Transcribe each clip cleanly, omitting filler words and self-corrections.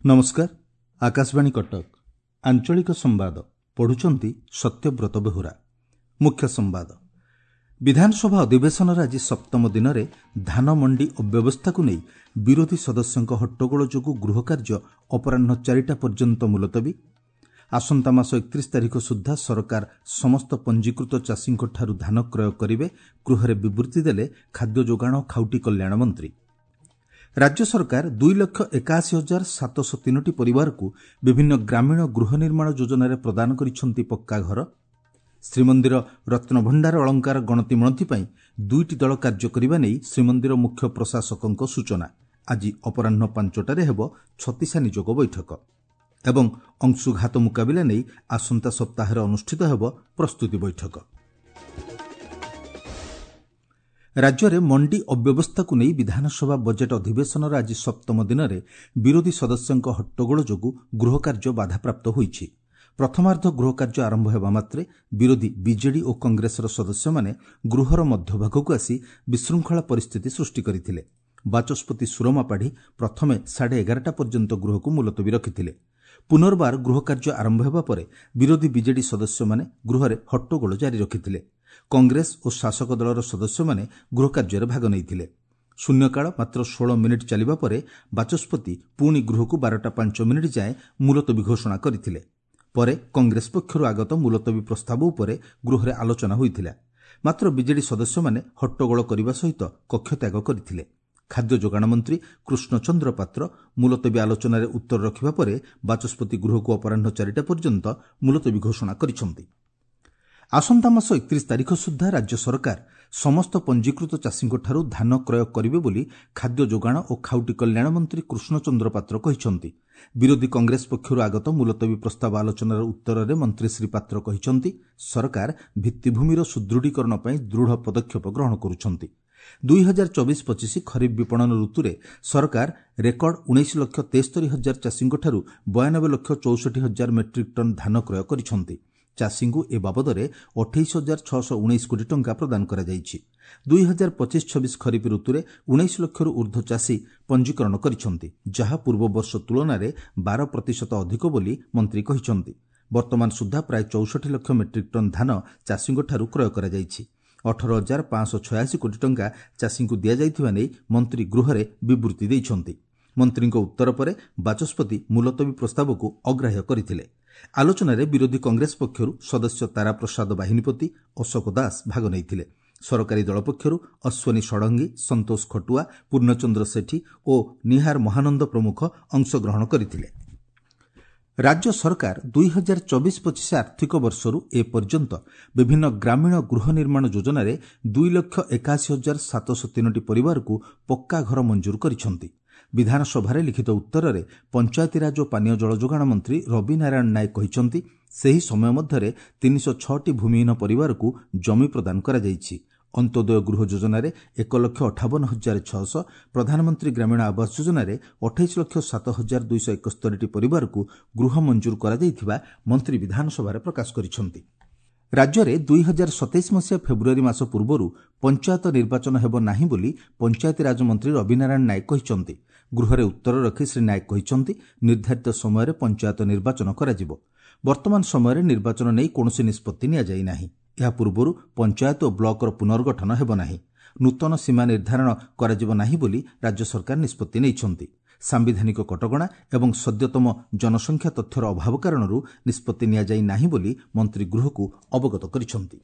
ନମସ୍କାର, ଆକାଶବାଣୀ କଟକ, ଆଞ୍ଚଳିକ ସମ୍ବାଦ ପଢୁଛନ୍ତି ସତ୍ୟବ୍ରତ ବେହୁରା। ମୁଖ୍ୟ ସମ୍ବାଦ। ବିଧାନସଭା ଅଧିବେଶନର ଆଜି ସପ୍ତମ ଦିନରେ ଧାନ ମଣ୍ଡି ଅବ୍ୟବସ୍ଥାକୁ ନେଇ ବିରୋଧୀ ସଦସ୍ୟଙ୍କ ହଟ୍ଟଗୋଳ ଯୋଗୁଁ ଗୃହକାର୍ଯ୍ୟ ଅପରାହ୍ନ 4ଟା ପର୍ଯ୍ୟନ୍ତ ମୁଲତବୀ। ଆସନ୍ତା ମାସ 31 ତାରିଖ ସୁଦ୍ଧା ସରକାର ସମସ୍ତ ପଞ୍ଜୀକୃତ ଚାଷୀଙ୍କଠାରୁ ଧାନ କ୍ରୟ କରିବେ, ଗୃହରେ ବିବୃତ୍ତି ଦେଲେ ଖାଦ୍ୟ ଯୋଗାଣ ଓ ଖାଉଟି କଲ୍ୟାଣ ମନ୍ତ୍ରୀ। ରାଜ୍ୟ ସରକାର 2,81,703ଟି ପରିବାରକୁ ବିଭିନ୍ନ ଗ୍ରାମୀଣ ଗୃହ ନିର୍ମାଣ ଯୋଜନାରେ ପ୍ରଦାନ କରିଛନ୍ତି ପକ୍କା ଘର। ଶ୍ରୀମନ୍ଦିର ରତ୍ନଭଣ୍ଡାର ଅଳଙ୍କାର ଗଣତି ମଣତି ପାଇଁ ଦୁଇଟି ଦଳ କାର୍ଯ୍ୟ କରିବା ନେଇ ଶ୍ରୀମନ୍ଦିର ମୁଖ୍ୟ ପ୍ରଶାସକଙ୍କ ସୂଚନା। ଆଜି ଅପରାହ୍ନ 5ଟାରେ ହେବ ଛତିଶା ନିଯୋଗ ବୈଠକ। ଏବଂ ଅଂଶୁଘାତ ମୁକାବିଲା ନେଇ ଆସନ୍ତା ସପ୍ତାହରେ ଅନୁଷ୍ଠିତ ହେବ ପ୍ରସ୍ତୁତି ବୈଠକ। ରାଜ୍ୟରେ ମଣ୍ଡି ଅବ୍ୟବସ୍ଥାକୁ ନେଇ ବିଧାନସଭା ବଜେଟ୍ ଅଧିବେଶନର ଆଜି ସପ୍ତମ ଦିନରେ ବିରୋଧୀ ସଦସ୍ୟଙ୍କ ହଟ୍ଟଗୋଳ ଯୋଗୁଁ ଗୃହକାର୍ଯ୍ୟ ବାଧାପ୍ରାପ୍ତ ହୋଇଛି। ପ୍ରଥମାର୍ଦ୍ଧ ଗୃହକାର୍ଯ୍ୟ ଆରମ୍ଭ ହେବା ମାତ୍ରେ ବିରୋଧୀ ବିଜେଡି ଓ କଂଗ୍ରେସର ସଦସ୍ୟମାନେ ଗୃହର ମଧ୍ୟଭାଗକୁ ଆସି ବିଶୃଙ୍ଖଳା ପରିସ୍ଥିତି ସୃଷ୍ଟି କରିଥିଲେ। ବାଚସ୍ପତି ସୁରମା ପାଢ଼ୀ ପ୍ରଥମେ 11:30 ପର୍ଯ୍ୟନ୍ତ ଗୃହକୁ ମୁଲତବୀ ରଖିଥିଲେ। ପୁନର୍ବାର ଗୃହକାର୍ଯ୍ୟ ଆରମ୍ଭ ହେବା ପରେ ବିରୋଧୀ ବିଜେଡି ସଦସ୍ୟମାନେ ଗୃହରେ ହଟ୍ଟଗୋଳ ଜାରି ରଖିଥିଲେ। କଂଗ୍ରେସ ଓ ଶାସକ ଦଳର ସଦସ୍ୟମାନେ ଗୃହକାର୍ଯ୍ୟରେ ଭାଗ ନେଇଥିଲେ। ଶୂନ୍ୟକାଳ ମାତ୍ର 16 ମିନିଟ୍ ଚାଲିବା ପରେ ବାଚସ୍ପତି ପୁଣି ଗୃହକୁ 12ଟା 5 ଯାଏଁ ମୁଲତବୀ ଘୋଷଣା କରିଥିଲେ। ପରେ କଂଗ୍ରେସ ପକ୍ଷରୁ ଆଗତ ମୁଲତବୀ ପ୍ରସ୍ତାବ ଉପରେ ଗୃହରେ ଆଲୋଚନା ହୋଇଥିଲା। ମାତ୍ର ବିଜେଡି ସଦସ୍ୟମାନେ ହଟ୍ଟଗୋଳ କରିବା ସହିତ କକ୍ଷତ୍ୟାଗ କରିଥିଲେ। ଖାଦ୍ୟ ଯୋଗାଣ ମନ୍ତ୍ରୀ କୃଷ୍ଣଚନ୍ଦ୍ର ପାତ୍ର ମୁଲତବୀ ଆଲୋଚନାରେ ଉତ୍ତର ରଖିବା ପରେ ବାଚସ୍ପତି ଗୃହକୁ ଅପରାହ୍ନ 4ଟା ପର୍ଯ୍ୟନ୍ତ ମୁଲତବୀ ଘୋଷଣା କରିଛନ୍ତି। ଆସନ୍ତା ମାସ 31 ତାରିଖ ସୁଦ୍ଧା ରାଜ୍ୟ ସରକାର ସମସ୍ତ ପଞ୍ଜୀକୃତ ଚାଷୀଙ୍କଠାରୁ ଧାନ କ୍ରୟ କରିବେ ବୋଲି ଖାଦ୍ୟ ଯୋଗାଣ ଓ ଖାଉଟି କଲ୍ୟାଣ ମନ୍ତ୍ରୀ କୃଷ୍ଣଚନ୍ଦ୍ର ପାତ୍ର କହିଛନ୍ତି। ବିରୋଧୀ କଂଗ୍ରେସ ପକ୍ଷରୁ ଆଗତ ମୁଲତବୀ ପ୍ରସ୍ତାବ ଆଲୋଚନାର ଉତ୍ତରରେ ମନ୍ତ୍ରୀ ଶ୍ରୀ ପାତ୍ର କହିଛନ୍ତି, ସରକାର ଭିତ୍ତିଭୂମିର ସୁଦୃଢ଼ୀକରଣ ପାଇଁ ଦୃଢ଼ ପଦକ୍ଷେପ ଗ୍ରହଣ କରୁଛନ୍ତି। 2024-25 ଖରିଫ ବିପଣନ ଋତୁରେ ସରକାର ରେକର୍ଡ 19,73,000 ଚାଷୀଙ୍କଠାରୁ 92,64,000 ମେଟ୍ରିକ୍ ଟନ୍ ଧାନ କ୍ରୟ କରିଛନ୍ତି। ଚାଷୀଙ୍କୁ ଏ ବାବଦରେ 28,619 କୋଟି ଟଙ୍କା ପ୍ରଦାନ କରାଯାଇଛି। 2025-26 ଖରିଫ ଋତୁରେ 19 ଲକ୍ଷରୁ ଊର୍ଦ୍ଧ୍ୱ ଚାଷୀ ପଞ୍ଜୀକରଣ କରିଛନ୍ତି, ଯାହା ପୂର୍ବ ବର୍ଷ ତୁଳନାରେ 12% ଅଧିକ ବୋଲି ମନ୍ତ୍ରୀ କହିଛନ୍ତି। ବର୍ତ୍ତମାନ ସୁଦ୍ଧା ପ୍ରାୟ 64 ଲକ୍ଷ ମେଟ୍ରିକ୍ ଟନ୍ ଧାନ ଚାଷୀଙ୍କଠାରୁ କ୍ରୟ କରାଯାଇଛି। 18,586 କୋଟି ଟଙ୍କା ଚାଷୀଙ୍କୁ ଦିଆଯାଇଥିବା ନେଇ ମନ୍ତ୍ରୀ ଗୃହରେ ବିବୃତ୍ତି ଦେଇଛନ୍ତି। ମନ୍ତ୍ରୀଙ୍କ ଉତ୍ତର ପରେ ବାଚସ୍ପତି ମୁଲତବୀ ପ୍ରସ୍ତାବକୁ ଅଗ୍ରାହ୍ୟ କରିଥିଲେ। ଆଲୋଚନାରେ ବିରୋଧୀ କଂଗ୍ରେସ ପକ୍ଷରୁ ସଦସ୍ୟ ତାରାପ୍ରସାଦ ବାହିନୀପତି, ଅଶୋକ ଦାସ ଭାଗ ନେଇଥିଲେ। ସରକାରୀ ଦଳ ପକ୍ଷରୁ ଅଶ୍ୱିନୀ ଷଡ଼ଙ୍ଗୀ, ସନ୍ତୋଷ ଖଟୁଆ, ପୂର୍ଣ୍ଣଚନ୍ଦ୍ର ସେଠୀ ଓ ନିହାର ମହାନନ୍ଦ ପ୍ରମୁଖ ଅଂଶଗ୍ରହଣ କରିଥିଲେ। ରାଜ୍ୟ ସରକାର 2024-25 ଆର୍ଥିକ ବର୍ଷରୁ ଏପର୍ଯ୍ୟନ୍ତ ବିଭିନ୍ନ ଗ୍ରାମୀଣ ଗୃହ ନିର୍ମାଣ ଯୋଜନାରେ 2,81,703ଟି ପରିବାରକୁ ପକ୍କା ଘର ମଞ୍ଜୁର କରିଛନ୍ତି। ବିଧାନସଭାରେ ଲିଖିତ ଉତ୍ତରରେ ପଞ୍ଚାୟତିରାଜ ଓ ପାନୀୟ ଜଳ ଯୋଗାଣ ମନ୍ତ୍ରୀ ରବି ନାରାୟଣ ନାୟକ କହିଛନ୍ତି, ସେହି ସମୟ ମଧ୍ୟରେ 306ଟି ଭୂମିହୀନ ପରିବାରକୁ ଜମି ପ୍ରଦାନ କରାଯାଇଛି। ଅନ୍ତ୍ୟୋଦୟ ଗୃହ ଯୋଜନାରେ 1,58,600, ପ୍ରଧାନମନ୍ତ୍ରୀ ଗ୍ରାମୀଣ ଆବାସ ଯୋଜନାରେ 28,07,271ଟି ପରିବାରକୁ ଗୃହ ମଞ୍ଜୁର କରାଯାଇଥିବା ମନ୍ତ୍ରୀ ବିଧାନସଭାରେ ପ୍ରକାଶ କରିଛନ୍ତି। ରାଜ୍ୟରେ 2027 ମସିହା ଫେବୃଆରୀ ମାସ ପୂର୍ବରୁ ପଞ୍ଚାୟତ ନିର୍ବାଚନ ହେବ ନାହିଁ ବୋଲି ପଞ୍ଚାୟତିରାଜ ମନ୍ତ୍ରୀ ରବିନାରାୟଣ ନାୟକ କହିଛନ୍ତି। ଗୃହରେ ଉତ୍ତର ରଖି ଶ୍ରୀ ନାୟକ କହିଛନ୍ତି, ନିର୍ଦ୍ଧାରିତ ସମୟରେ ପଞ୍ଚାୟତ ନିର୍ବାଚନ କରାଯିବ। ବର୍ତ୍ତମାନ ସମୟରେ ନିର୍ବାଚନ ନେଇ କୌଣସି ନିଷ୍ପତ୍ତି ନିଆଯାଇ ନାହିଁ। ଏହା ପୂର୍ବରୁ ପଞ୍ଚାୟତ ଓ ବ୍ଲକର ପୁନର୍ଗଠନ ହେବ ନାହିଁ। ନୂତନ ସୀମା ନିର୍ଦ୍ଧାରଣ କରାଯିବ ନାହିଁ ବୋଲି ରାଜ୍ୟ ସରକାର ନିଷ୍ପତ୍ତି ନେଇଛନ୍ତି। ସାମ୍ବିଧାନିକ କଟକଣା ଏବଂ ସଦ୍ୟତମ ଜନସଂଖ୍ୟା ତଥ୍ୟର ଅଭାବ କାରଣରୁ ନିଷ୍ପତ୍ତି ନିଆଯାଇ ନାହିଁ ବୋଲି ମନ୍ତ୍ରୀ ଗୃହକୁ ଅବଗତ କରିଛନ୍ତି।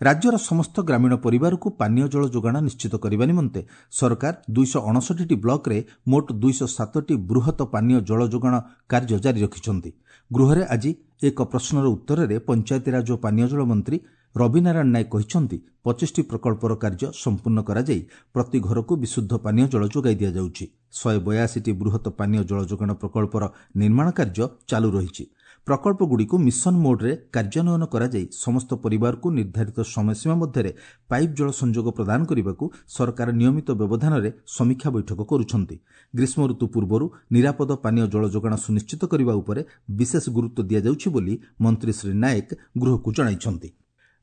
ରାଜ୍ୟର ସମସ୍ତ ଗ୍ରାମୀଣ ପରିବାରକୁ ପାନୀୟ ଜଳ ଯୋଗାଣ ନିଶ୍ଚିତ କରିବା ନିମନ୍ତେ ସରକାର 259ଟି ବ୍ଲକରେ ମୋଟ 207ଟି ବୃହତ ପାନୀୟ ଜଳ ଯୋଗାଣ କାର୍ଯ୍ୟ ଜାରି ରଖିଛନ୍ତି। ଗୃହରେ ଆଜି ଏକ ପ୍ରଶ୍ନର ଉତ୍ତରରେ ପଞ୍ଚାୟତିରାଜ ଓ ପାନୀୟ ଜଳ ମନ୍ତ୍ରୀ ରବିନାରାୟଣ ନାୟକ କହିଛନ୍ତି, 25ଟି ପ୍ରକଳ୍ପର କାର୍ଯ୍ୟ ସମ୍ପୂର୍ଣ୍ଣ କରାଯାଇ ପ୍ରତି ଘରକୁ ବିଶୁଦ୍ଧ ପାନୀୟ ଜଳ ଯୋଗାଇ ଦିଆଯାଉଛି। 182ଟି ବୃହତ ପାନୀୟ ଜଳ ଯୋଗାଣ ପ୍ରକଳ୍ପର ନିର୍ମାଣ କାର୍ଯ୍ୟ ଚାଲୁ ରହିଛି। ପ୍ରକଳ୍ପଗୁଡ଼ିକୁ ମିଶନ ମୋଡ୍ରେ କାର୍ଯ୍ୟାନ୍ୱୟନ କରାଯାଇ ସମସ୍ତ ପରିବାରକୁ ନିର୍ଦ୍ଧାରିତ ସମୟସୀମା ମଧ୍ୟରେ ପାଇପ୍ ଜଳ ସଂଯୋଗ ପ୍ରଦାନ କରିବାକୁ ସରକାର ନିୟମିତ ବ୍ୟବଧାନରେ ସମୀକ୍ଷା ବୈଠକ କରୁଛନ୍ତି। ଗ୍ରୀଷ୍ମ ଋତୁ ପୂର୍ବରୁ ନିରାପଦ ପାନୀୟ ଜଳ ଯୋଗାଣ ସୁନିଶ୍ଚିତ କରିବା ଉପରେ ବିଶେଷ ଗୁରୁତ୍ୱ ଦିଆଯାଉଛି ବୋଲି ମନ୍ତ୍ରୀ ଶ୍ରୀ ନାୟକ ଗୃହକୁ ଜଣାଇଛନ୍ତି।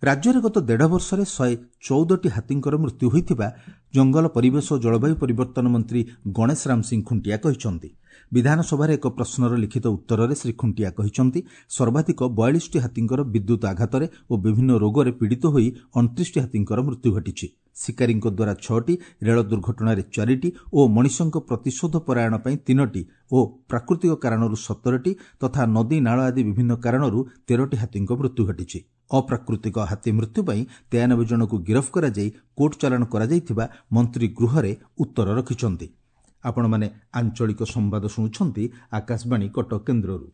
ରାଜ୍ୟରେ ଗତ ଦେଢ଼ ବର୍ଷରେ 114ଟି ହାତୀଙ୍କର ମୃତ୍ୟୁ ହୋଇଥିବା ଜଙ୍ଗଲ, ପରିବେଶ ଓ ଜଳବାୟୁ ପରିବର୍ତ୍ତନ ମନ୍ତ୍ରୀ ଗଣେଶ ରାମ ସିଂ ଖୁଣ୍ଟିଆ କହିଛନ୍ତି। ବିଧାନସଭାରେ ଏକ ପ୍ରଶ୍ନର ଲିଖିତ ଉତ୍ତରରେ ଶ୍ରୀ ଖୁଣ୍ଟିଆ କହିଛନ୍ତି, ସର୍ବାଧିକ 42ଟି ହାତୀଙ୍କର ବିଦ୍ୟୁତ୍ ଆଘାତରେ ଓ ବିଭିନ୍ନ ରୋଗରେ ପୀଡ଼ିତ ହୋଇ 29ଟି ହାତୀଙ୍କର ମୃତ୍ୟୁ ଘଟିଛି। ଶିକାରୀଙ୍କ ଦ୍ୱାରା 6ଟି, ରେଳ ଦୁର୍ଘଟଣାରେ 4ଟି ଓ ମଣିଷଙ୍କ ପ୍ରତିଶୋଧ ପରାୟଣ ପାଇଁ 3ଟି ଓ ପ୍ରାକୃତିକ କାରଣରୁ 17ଟି ତଥା ନଦୀ, ନାଳ ଆଦି ବିଭିନ୍ନ କାରଣରୁ 13ଟି ହାତୀଙ୍କ ମୃତ୍ୟୁ ଘଟିଛି। ଅପ୍ରାକୃତିକ ହାତୀ ମୃତ୍ୟୁ ପାଇଁ 93 ଜଣଙ୍କୁ ଗିରଫ କରାଯାଇ କୋର୍ଟ ଚାଲାଣ କରାଯାଇଥିବା ମନ୍ତ୍ରୀ ଗୃହରେ ଉତ୍ତର ରଖିଛନ୍ତି। ଆପଣମାନେ ଆଞ୍ଚଳିକ ସମ୍ବାଦ ଶୁଣୁଛନ୍ତି ଆକାଶବାଣୀ କଟକ କେନ୍ଦ୍ରରୁ।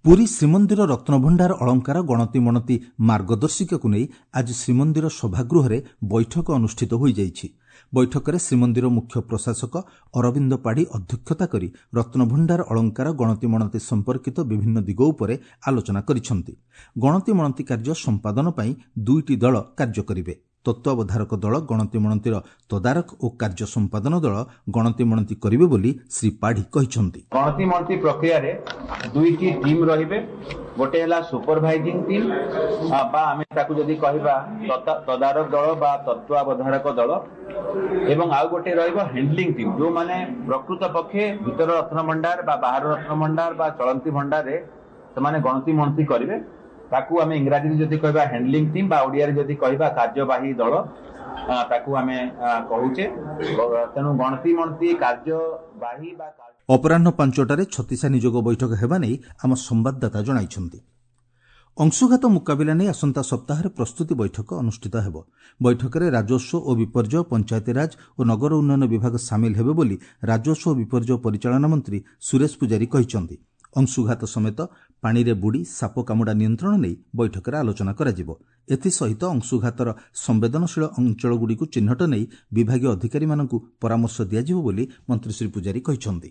ପୁରୀ ଶ୍ରୀମନ୍ଦିର ରତ୍ନଭଣ୍ଡାର ଅଳଙ୍କାର ଗଣତି ମଣତି ମାର୍ଗଦର୍ଶିକାକୁ ନେଇ ଆଜି ଶ୍ରୀମନ୍ଦିର ସଭାଗୃହରେ ବୈଠକ ଅନୁଷ୍ଠିତ ହୋଇଯାଇଛି। ବୈଠକରେ ଶ୍ରୀମନ୍ଦିର ମୁଖ୍ୟ ପ୍ରଶାସକ ଅରବିନ୍ଦ ପାଢ଼ୀ ଅଧ୍ୟକ୍ଷତା କରି ରତ୍ନଭଣ୍ଡାର ଅଳଙ୍କାର ଗଣତି ମଣତି ସମ୍ପର୍କିତ ବିଭିନ୍ନ ଦିଗ ଉପରେ ଆଲୋଚନା କରିଛନ୍ତି। ଗଣତି ମଣତି କାର୍ଯ୍ୟ ସମ୍ପାଦନ ପାଇଁ 2ଟି ଦଳ କାର୍ଯ୍ୟ କରିବେ। ତତ୍ତ୍ୱାବଧାରକ ଦଳ ଗଣତି ମଣତିର ତଦାରଖ ଓ କାର୍ଯ୍ୟ ସମ୍ପାଦନ ଦଳ ଗଣତି ମଣତି କରିବେ ବୋଲି ଶ୍ରୀ ପାଢ଼ୀ କହିଛନ୍ତି। ଗଣତି ମଣତି ପ୍ରକ୍ରିୟାରେ 2ଟି ଟିମ୍ ରହିବେ। ଗୋଟେ ହେଲା ସୁପରଭାଇଜିଂ ଟିମ୍ ବା ଆମେ ତାକୁ ଯଦି କହିବା ତଦାରଖ ଦଳ ବା ତତ୍ତ୍ୱାବଧାରକ ଦଳ, ଏବଂ ଆଉ ଗୋଟେ ରହିବ ହ୍ୟାଣ୍ଡଲିଂ ଟିମ୍, ଯେଉଁମାନେ ପ୍ରକୃତ ପକ୍ଷେ ଭିତର ରତ୍ନଭଣ୍ଡାର ବା ବାହାର ରତ୍ନଭଣ୍ଡାର ବା ଚଳନ୍ତି ଭଣ୍ଡାରରେ ସେମାନେ ଗଣତି ମଣତି କରିବେ। ତାକୁ ଆମେ ଇଂରାଜୀରେ ଯଦି କହିବା ହ୍ୟାଣ୍ଡଲିଂ ଟିମ୍ ବା ଓଡ଼ିଆରେ ଯଦି କହିବା କାର୍ଯ୍ୟବାହୀ ଦଳ, ତାକୁ ଆମେ କହୁଛେ। ତେଣୁ ଗଣତି ମଣତି କାର୍ଯ୍ୟବାହୀ ବା ଅପରାହ୍ନ 5ଟାରେ ଛତିଶା ନିଯୋଗ ବୈଠକ ହେବା ନେଇ ଆମ ସମ୍ବାଦଦାତା ଜଣାଇଛନ୍ତି। ଅଂଶୁଘାତ ମୁକାବିଲା ନେଇ ଆସନ୍ତା ସପ୍ତାହରେ ପ୍ରସ୍ତୁତି ବୈଠକ ଅନୁଷ୍ଠିତ ହେବ। ବୈଠକରେ ରାଜସ୍ୱ ଓ ବିପର୍ଯ୍ୟୟ, ପଞ୍ଚାୟତିରାଜ ଓ ନଗର ଉନ୍ନୟନ ବିଭାଗ ସାମିଲ ହେବେ ବୋଲି ରାଜସ୍ୱ ଓ ବିପର୍ଯ୍ୟୟ ପରିଚାଳନା ମନ୍ତ୍ରୀ ସୁରେଶ ପୂଜାରୀ କହିଛନ୍ତି। ଅଂଶୁଘାତ ସମେତ ପାଣିରେ ବୁଡ଼ି ସାପ କାମୁଡ଼ା ନିୟନ୍ତ୍ରଣ ନେଇ ବୈଠକରେ ଆଲୋଚନା କରାଯିବ। ଏଥିସହିତ ଅଂଶୁଘାତର ସମ୍ବେଦନଶୀଳ ଅଞ୍ଚଳଗୁଡ଼ିକୁ ଚିହ୍ନଟ ନେଇ ବିଭାଗୀୟ ଅଧିକାରୀମାନଙ୍କୁ ପରାମର୍ଶ ଦିଆଯିବ ବୋଲି ମନ୍ତ୍ରୀ ଶ୍ରୀ ପୂଜାରୀ କହିଛନ୍ତି।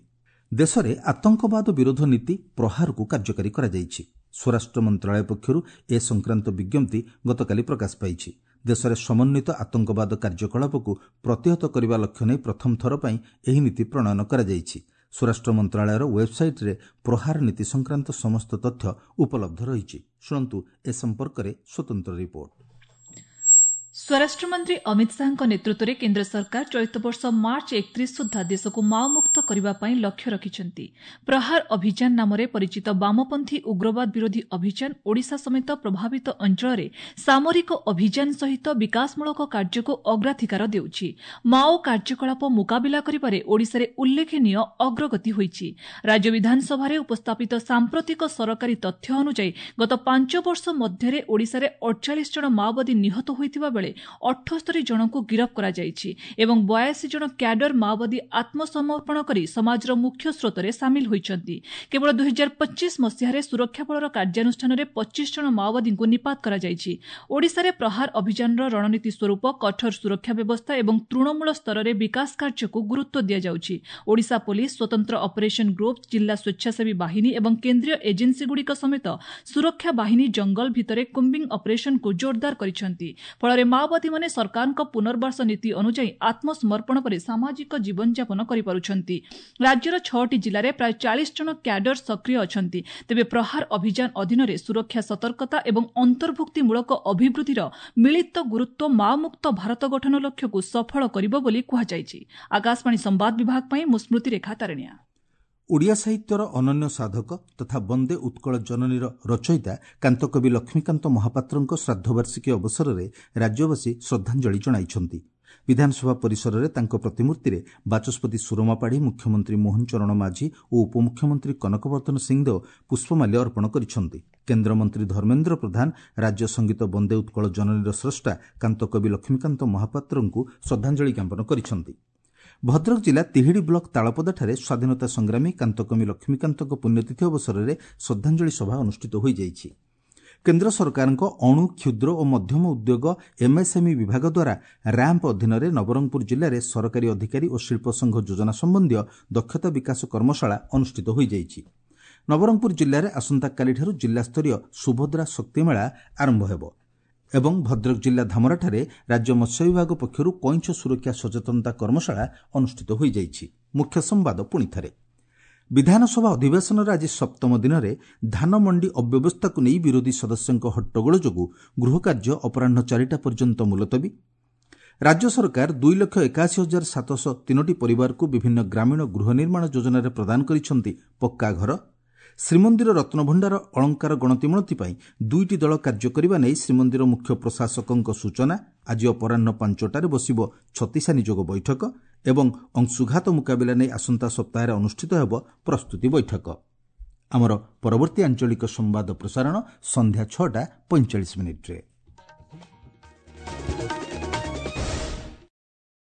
ଦେଶରେ ଆତଙ୍କବାଦ ବିରୋଧ ନୀତି ପ୍ରହାରକୁ କାର୍ଯ୍ୟକାରୀ କରାଯାଇଛି। ସ୍ୱରାଷ୍ଟ୍ର ମନ୍ତ୍ରଣାଳୟ ପକ୍ଷରୁ ଏ ସଂକ୍ରାନ୍ତ ବିଜ୍ଞପ୍ତି ଗତକାଲି ପ୍ରକାଶ ପାଇଛି। ଦେଶରେ ସମନ୍ୱିତ ଆତଙ୍କବାଦ କାର୍ଯ୍ୟକଳାପକୁ ପ୍ରତିହତ କରିବା ଲକ୍ଷ୍ୟ ନେଇ ପ୍ରଥମ ଥର ପାଇଁ ଏହି ନୀତି ପ୍ରଣୟନ କରାଯାଇଛି। ସ୍ୱରାଷ୍ଟ୍ର ମନ୍ତ୍ରଣାଳୟର ୱେବ୍ସାଇଟ୍ରେ ପ୍ରହାର ନୀତି ସଂକ୍ରାନ୍ତ ସମସ୍ତ ତଥ୍ୟ ଉପଲବ୍ଧ ରହିଛି। ଶୁଣନ୍ତୁ ଏ ସମ୍ପର୍କରେ ସ୍ୱତନ୍ତ୍ର ରିପୋର୍ଟ। ସ୍ୱରାଷ୍ଟ୍ରମନ୍ତ୍ରୀ ଅମିତ ଶାହାଙ୍କ ନେତୃତ୍ୱରେ କେନ୍ଦ୍ର ସରକାର ଚଳିତ ବର୍ଷ ମାର୍ଚ୍ଚ 31 ସୁଦ୍ଧା ଦେଶକୁ ମାଓମୁକ୍ତ କରିବା ପାଇଁ ଲକ୍ଷ୍ୟ ରଖିଛନ୍ତି। ପ୍ରହାର ଅଭିଯାନ ନାମରେ ପରିଚିତ ବାମପନ୍ଥୀ ଉଗ୍ରବାଦ ବିରୋଧୀ ଅଭିଯାନ ଓଡ଼ିଶା ସମେତ ପ୍ରଭାବିତ ଅଞ୍ଚଳରେ ସାମରିକ ଅଭିଯାନ ସହିତ ବିକାଶମୂଳକ କାର୍ଯ୍ୟକୁ ଅଗ୍ରାଧିକାର ଦେଉଛି। ମାଓ କାର୍ଯ୍ୟକଳାପ ମୁକାବିଲା କରିବାରେ ଓଡ଼ିଶାରେ ଉଲ୍ଲେଖନୀୟ ଅଗ୍ରଗତି ହୋଇଛି। ରାଜ୍ୟ ବିଧାନସଭାରେ ଉପସ୍ଥାପିତ ସାମ୍ପ୍ରତିକ ସରକାରୀ ତଥ୍ୟ ଅନୁଯାୟୀ ଗତ 5 ବର୍ଷ ମଧ୍ୟରେ ଓଡ଼ିଶାରେ 48 ଜଣ ମାଓବାଦୀ ନିହତ ହୋଇଥିବା ବେଳେ 78 ଜଣଙ୍କୁ ଗିରଫ କରାଯାଇଛି ଏବଂ 82 ଜଣ କ୍ୟାଡର ମାଓବାଦୀ ଆତ୍ମସମର୍ପଣ କରି ସମାଜର ମୁଖ୍ୟ ସ୍ରୋତରେ ସାମିଲ ହୋଇଛନ୍ତି। କେବଳ 2025 ମସିହାରେ ସୁରକ୍ଷା ବଳର କାର୍ଯ୍ୟାନୁଷ୍ଠାନରେ 25 ଜଣ ମାଓବାଦୀଙ୍କୁ ନିପାତ କରାଯାଇଛି। ଓଡ଼ିଶାରେ ପ୍ରହାର ଅଭିଯାନର ରଣନୀତି ସ୍ୱରୂପ କଠୋର ସୁରକ୍ଷା ବ୍ୟବସ୍ଥା ଏବଂ ତୃଣମୂଳ ସ୍ତରରେ ବିକାଶ କାର୍ଯ୍ୟକୁ ଗୁରୁତ୍ୱ ଦିଆଯାଉଛି। ଓଡ଼ିଶା ପୋଲିସ, ସ୍ୱତନ୍ତ୍ର ଅପରେସନ ଗ୍ରୁପ୍, ଜିଲ୍ଲା ସ୍ୱେଚ୍ଛାସେବୀ ବାହିନୀ ଏବଂ କେନ୍ଦ୍ରୀୟ ଏଜେନ୍ସିଗୁଡ଼ିକ ସମେତ ସୁରକ୍ଷା ବାହିନୀ ଜଙ୍ଗଲ ଭିତରେ କୁମ୍ବିଂ ଅପରେସନକୁ ଜୋରଦାର କରିଛନ୍ତି। ଫଳରେ ମାଓବାଦୀମାନେ ସରକାରଙ୍କ ପୁନର୍ବାସ ନୀତି ଅନୁଯାୟୀ ଆତ୍ମସମର୍ପଣ ପରେ ସାମାଜିକ ଜୀବନଯାପନ କରିପାରୁଛନ୍ତି। ରାଜ୍ୟର 6ଟି ଜିଲ୍ଲାରେ ପ୍ରାୟ 40 ଜଣ କ୍ୟାଡର ସକ୍ରିୟ ଅଛନ୍ତି। ତେବେ ପ୍ରହାର ଅଭିଯାନ ଅଧୀନରେ ସୁରକ୍ଷା, ସତର୍କତା ଏବଂ ଅନ୍ତର୍ଭୁକ୍ତିମୂଳକ ଅଭିବୃଦ୍ଧିର ମିଳିତ ଗୁରୁତ୍ୱ ମାଓମୁକ୍ତ ଭାରତ ଗଠନ ଲକ୍ଷ୍ୟକୁ ସଫଳ କରିବ ବୋଲି କୁହାଯାଇଛି। ଆକାଶବାଣୀ ସମ୍ବାଦ ବିଭାଗ ପାଇଁ ମୁଁ ସ୍ମୃତିରେଖା ତାରିଣିଆ। ଓଡ଼ିଆ ସାହିତ୍ୟର ଅନନ୍ୟ ସାଧକ ତଥା ବନ୍ଦେ ଉତ୍କଳ ଜନନୀର ରଚୟିତା କାନ୍ତକବି ଲକ୍ଷ୍ମୀକାନ୍ତ ମହାପାତ୍ରଙ୍କ ଶ୍ରାଦ୍ଧବାର୍ଷିକୀ ଅବସରରେ ରାଜ୍ୟବାସୀ ଶ୍ରଦ୍ଧାଞ୍ଜଳି ଜଣାଇଛନ୍ତି। ବିଧାନସଭା ପରିସରରେ ତାଙ୍କ ପ୍ରତିମୂର୍ତ୍ତିରେ ବାଚସ୍ପତି ସୁରମା ପାଢ଼ୀ, ମୁଖ୍ୟମନ୍ତ୍ରୀ ମୋହନ ଚରଣ ମାଝୀ ଓ ଉପମୁଖ୍ୟମନ୍ତ୍ରୀ କନକବର୍ଦ୍ଧନ ସିଂଦେଓ ପୁଷ୍ପମାଲ୍ୟ ଅର୍ପଣ କରିଛନ୍ତି। କେନ୍ଦ୍ରମନ୍ତ୍ରୀ ଧର୍ମେନ୍ଦ୍ର ପ୍ରଧାନ ରାଜ୍ୟ ସଙ୍ଗୀତ ବନ୍ଦେ ଉତ୍କଳ ଜନନୀର ସ୍ରଷ୍ଟା କାନ୍ତକବି ଲକ୍ଷ୍ମୀକାନ୍ତ ମହାପାତ୍ରଙ୍କୁ ଶ୍ରଦ୍ଧାଞ୍ଜଳି ଜ୍ଞାପନ କରିଛନ୍ତି। ଭଦ୍ରକ ଜିଲ୍ଲା ତିହିଡ଼ି ବ୍ଲକ ତାଳପଦାଠାରେ ସ୍ୱାଧୀନତା ସଂଗ୍ରାମୀ କାନ୍ତକବି ଲକ୍ଷ୍ମୀକାନ୍ତଙ୍କ ପୁଣ୍ୟତିଥି ଅବସରରେ ଶ୍ରଦ୍ଧାଞ୍ଜଳି ସଭା ଅନୁଷ୍ଠିତ ହୋଇଯାଇଛି। କେନ୍ଦ୍ର ସରକାରଙ୍କ ଅଣୁ, କ୍ଷୁଦ୍ର ଓ ମଧ୍ୟମ ଉଦ୍ୟୋଗ ଏମ୍ଏସ୍ଏମ୍ଇ ବିଭାଗ ଦ୍ୱାରା ର୍ୟାମ୍ପ ଅଧୀନରେ ନବରଙ୍ଗପୁର ଜିଲ୍ଲାରେ ସରକାରୀ ଅଧିକାରୀ ଓ ଶିଳ୍ପ ସଂଘ ଯୋଜନା ସମ୍ବନ୍ଧୀୟ ଦକ୍ଷତା ବିକାଶ କର୍ମଶାଳା ଅନୁଷ୍ଠିତ ହୋଇଯାଇଛି। ନବରଙ୍ଗପୁର ଜିଲ୍ଲାରେ ଆସନ୍ତାକାଲିଠାରୁ ଜିଲ୍ଲାସ୍ତରୀୟ ସୁଭଦ୍ରା ଶକ୍ତିମେଳା ଆରମ୍ଭ ହେବ ଏବଂ ଭଦ୍ରକ ଜିଲ୍ଲା ଧାମରାଠାରେ ରାଜ୍ୟ ମତ୍ସ୍ୟ ବିଭାଗ ପକ୍ଷରୁ କଇଁଛ ସୁରକ୍ଷା ସଚେତନତା କର୍ମଶାଳା ଅନୁଷ୍ଠିତ ହୋଇଯାଇଛି। ମୁଖ୍ୟ ସମ୍ବାଦ ପୁଣିଥରେ। ବିଧାନସଭା ଅଧିବେଶନର ଆଜି ସପ୍ତମ ଦିନରେ ଧାନମଣ୍ଡି ଅବ୍ୟବସ୍ଥାକୁ ନେଇ ବିରୋଧୀ ସଦସ୍ୟଙ୍କ ହଟ୍ଟଗୋଳ ଯୋଗୁଁ ଗୃହକାର୍ଯ୍ୟ ଅପରାହ୍ନ 4ଟା ପର୍ଯ୍ୟନ୍ତ ମୁଲତବୀ। ରାଜ୍ୟ ସରକାର 2,81,703ଟି ପରିବାରକୁ ବିଭିନ୍ନ ଗ୍ରାମୀଣ ଗୃହ ନିର୍ମାଣ ଯୋଜନାରେ ପ୍ରଦାନ କରିଛନ୍ତି ପକ୍କା ଘର। ଶ୍ରୀମନ୍ଦିର ରତ୍ନଭଣ୍ଡାର ଅଳଙ୍କାର ଗଣତିମଣତି ପାଇଁ 2ଟି ଦଳ କାର୍ଯ୍ୟ କରିବା ନେଇ ଶ୍ରୀମନ୍ଦିର ମୁଖ୍ୟ ପ୍ରଶାସକଙ୍କ ସୂଚନା। ଆଜି ଅପରାହ୍ନ 5ଟାରେ ବସିବ ଛତିଶା ନିଯୋଗ ବୈଠକ ଏବଂ ଅଂଶୁଘାତ ମୁକାବିଲା ନେଇ ଆସନ୍ତା ସପ୍ତାହରେ ଅନୁଷ୍ଠିତ ହେବ ପ୍ରସ୍ତୁତି ବୈଠକ। ଆମର ପରବର୍ତ୍ତୀ ଆଞ୍ଚଳିକ ସମ୍ବାଦ ପ୍ରସାରଣ ସନ୍ଧ୍ୟା 6ଟା 45 ମିନିଟ୍ରେ।